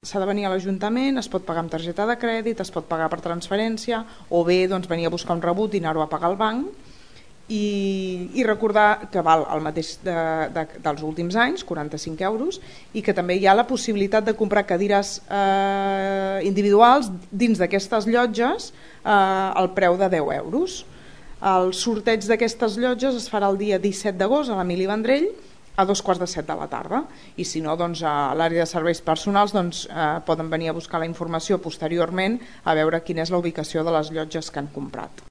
s'ha de venir a l'Ajuntament, es pot pagar amb targeta de crèdit, es pot pagar per transferència, o bé venir a buscar un rebut i anar-ho a pagar al banc, i recordar que val el mateix dels últims anys, 45 euros, i que també hi ha la possibilitat de comprar cadires individuals dins d'aquestes llotges al preu de 10 euros. El sorteig d'aquestes llotges es farà el dia 17 d'agost a l'Emili Vendrell a 2:15 de la tarda, i si no, a l'àrea de serveis personals poden venir a buscar la informació posteriorment a veure quina és la ubicació de les llotges que han comprat.